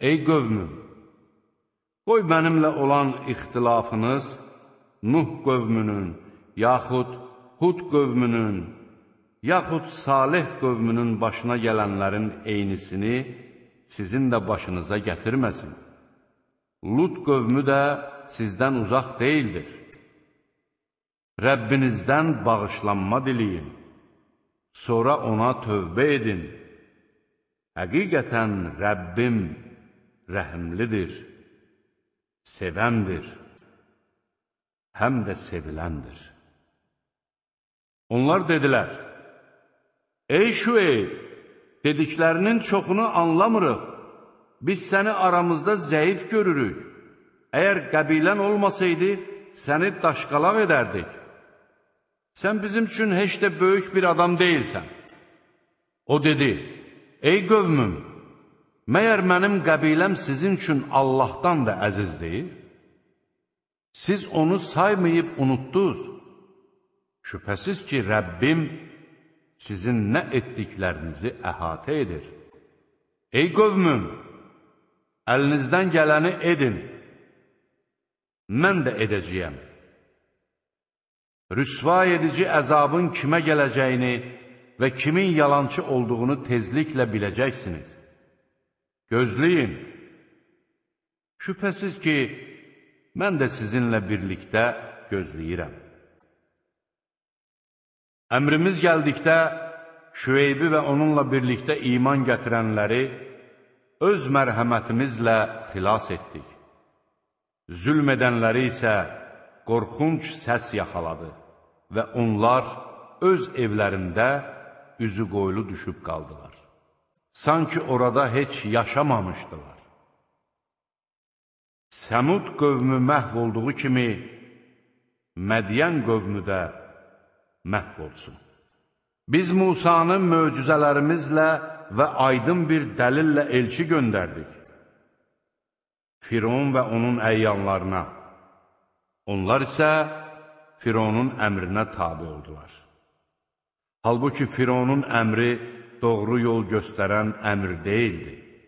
Ey qövmüm, qoy mənimlə olan ixtilafınız Nuh qövmünün, yaxud Hud qövmünün, yaxud Salih qövmünün başına gələnlərin eynisini sizin də başınıza gətirməsin. Lut qövmü də sizdən uzaq deyildir. Rəbbinizdən bağışlanma diləyin, sonra ona tövbə edin. Həqiqətən Rəbbim rəhimlidir, sevəndir, həm də seviləndir. Onlar dedilər, ey Şüeyb, dediklərinin çoxunu anlamırıq, biz səni aramızda zəif görürük. Əgər qəbilən olmasaydı, səni daşqalaq edərdik. Sən bizim üçün heç də böyük bir adam deyilsən. O dedi, ey qövmüm, məyər mənim qəbiləm sizin üçün Allahdan da əziz deyil? Siz onu saymayıb unutdunuz. Şübhəsiz ki, Rəbbim sizin nə etdiklərinizi əhatə edir. Ey qövmüm, əlinizdən gələni edin, mən də edəcəyəm. Rüsva edici əzabın kimə gələcəyini və kimin yalançı olduğunu tezliklə biləcəksiniz. Gözləyin. Şübhəsiz ki, mən də sizinlə birlikdə gözləyirəm. Əmrimiz gəldikdə Şüeybi və onunla birlikdə iman gətirənləri öz mərhəmətimizlə xilas etdik. Zülm edənləri isə qorxunc səs yaxaladı və onlar öz evlərində üzü qoylu düşüb qaldılar. Sanki orada heç yaşamamışdılar. Səmud qövmü məhv olduğu kimi Mədiyən qövmü də məhv olsun. Biz Musanı möcüzələrimizlə və aydın bir dəlillə elçi göndərdik. Firon və onun əyyanlarına. Onlar isə Fironun əmrinə tabi oldular. Halbuki Fironun əmri doğru yol göstərən əmr deyildi.